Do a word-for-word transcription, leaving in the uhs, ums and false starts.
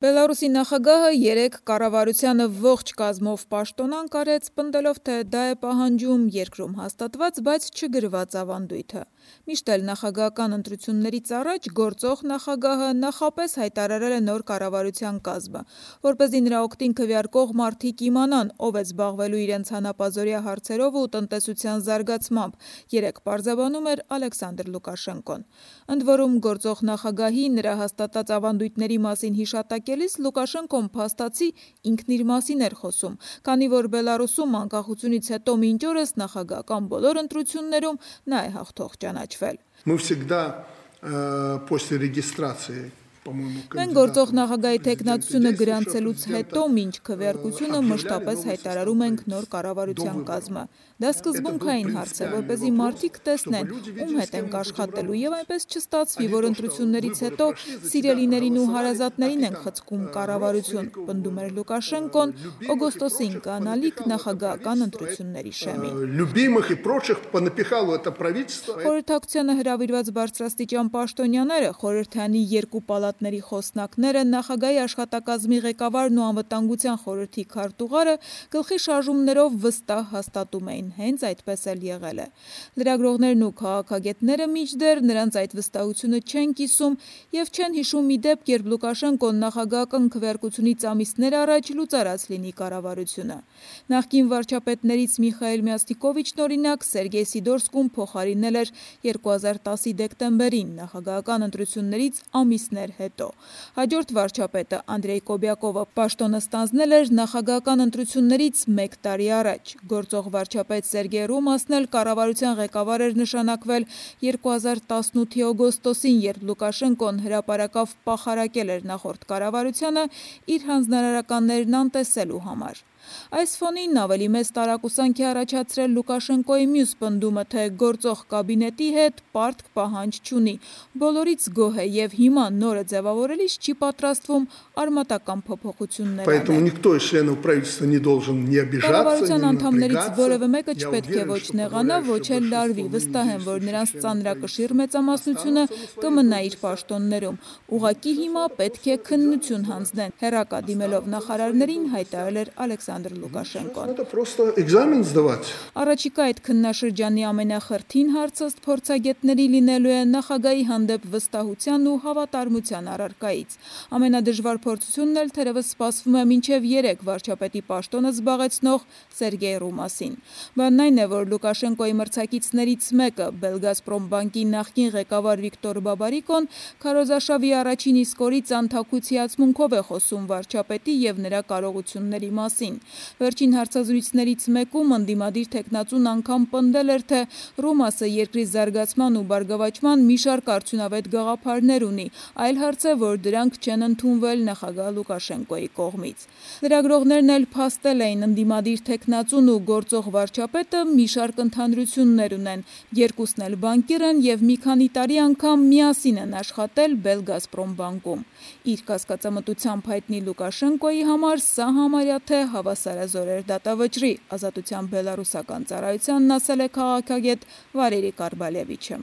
Բելարուսի նախագահը երեկ կառավարությանը ողջ կազմով պաշտոնանկ արեց, պնդելով, թե դա է պահանջում երկրում հաստատված, բայց չգրված ավանդույթը։ Միշտ էլ նախագահական ընտրություններից առաջ գործող նախագահը նախապես հայտարարել է նոր կառավարության կազմը, որպեսզի նրա օգտին քվեարկող մարդիկ իմանան, ով է զբաղվելու իրենց հանապազօրյա հարցերով ու տնտեսության զարգացմամբ, երեկ պարզաբանում էր Ալեքսանդր Լուկաշենկոն։ Ընդ որում գործող նախագահի նրա հաստատած ավանդույթների մասին հիշատակելիս Լուկաշենկոն փաստացի ինքն իր մասին էր խոսում, քանի որ Բելարուսում անկախությունից հետո մինչ օրս նախագահական բոլոր ընտրություններում նա է հաղթող ճանաչվել։ Мы всегда после регистрации Մենք գործող նախագահի թեկնածությունը գրանցելուց հետո մինչ քվեարկությունը մշտապես հայտարարում ենք նոր կառավարության կազմը։ Դա սկզբունքային հարց է, որպեսզի մարդիկ տեսնեն, ում հետ ենք աշխատելու, եւ այնպես չստացվի, որ ընտրություններից հետո սիրելիներին ու հարազատներին են խցկում կառավարություն, պնդում էր Լուկաշենկոն օգոստոսին կանալիք նախագահական ընտրությունների շեմին։ Խորհրդակցությանը հրավիրված բարձրաստիճան պաշտոնյաները, խորհրդանի երկու պալատների խոսնակները, նախագահի աշխատակազմի ղեկավարն ու անվտանգության խորհրդի քարտուղարը գլխի շարժումներով վստահ հաստատում էին, հենց այդպես էլ եղել է։ Լրագրողներն ու քաղաքագետները մինչդեռ նրանց այդ վստահությունը չեն կիսում եւ չեն հիշում մի դեպք, երբ Լուկաշենկոն նախագահական քվեարկությունից ամիսներ առաջ լուծարած լինի կառավարությունը։ Նախկին վարչապետներից Միխայիլ Մյասնիկովիչն օրինակ Սերգեյ Սիդորսկուն փոխարինել էր երկու հազար տասի դեկտեմբերին նախագահական ընտրություններից ամիսներ հետո։ Հաջորդ վարչապետը Անդրեյ Կոբյակովը պաշտոնը ստանձնել էր նախագահական ընտրություններից մեկ տարի առաջ։ Գործող վարչապետ Սերգեյ Ռոմասն էլ կառավարության ղեկավար էր նշանակվել երկու հազար տասնութի օգոստոսին, երբ Լուկաշենկոն հրապարակավ պախարակել էր նախորդ կառավարությանը իր հանձնարարականներն անտեսելու համար։ Այս ֆոնին ավելի մեծ տարակուսանք է առաջացրել Լուկաշենկոյի մյուս պնդումը, թե գործող կաբինետի հետ պարտք պահանջ չունի, բոլորից գոհ է եւ հիմա նորը ձևավորելիս չի պատրաստվում արմատական փոփոխություններ անել։ Կառավարության անդամներից որևէ մեկը չպետք է ոչ նեղանա, ոչ էլ լարվի, վստահ եմ, որ նրանց ծանրակշիռ մեծամասնությունը կմնա իր պաշտոններում։ Ուղղակի հիմա պետք է քննություն հանձնեն, հեռակա դիմելով նախարարներին հայտարարել էր Ալեքսանդր Լուկաշենկոն։ Առաջիկա այդ քննաշրջանի ամենախրթին հարցը ըստ փորձագետների լինելու է նախագահի հանդեպ վստահության ու հավատարմության առարկայից։ Ամենադժվար փորձությունն էլ թերևս սպասվում է մինչև երեք վարչապետի պաշտոնը զբաղեցնող Սերգեյ Ռոմասին։ Բանն այն է, որ Լուկաշենկոյի մրցակիցներից մեկը, Belgazprom բանկի նախկին ղեկավար Վիկտոր Բաբարիկոն, քարոզարշավի առաջին իսկ օրից անթաքույց հիացմունքով է խոսում վարչապետի եւ նրա կարողությունների մասին։ Վերջին հարցազրույցներից մեկում ընդդիմադիր թեկնածուն անգամ պնդել էր, թե Ռոմասը երկրի զարգացման ու բարգավաճման մի շարք արդյունավետ գաղափարներ ունի, այլ հարց է, որ դրանք չեն ընդունվել նախագահ Լուկաշենկոյի կողմից։ Լրագրողներն էլ փաստել էին ընդդիմադիր թեկնածուն ու գործող վարչապետը մի շարք ընդհանրություններ ունեն, երկուսն էլ բանկիր են եւ մի քանի տարի անգամ միասին են աշխատել Belgazprom բանկում։ Իր կասկածամտությամբ հայտնի Լուկաշենկոյի համար սա համարյա թե հավասարազոր էր դատավճռի, Ազատության բելարուսական ծառայությանն ասել է քաղաքագետ Վալերի Կարբալևիչը։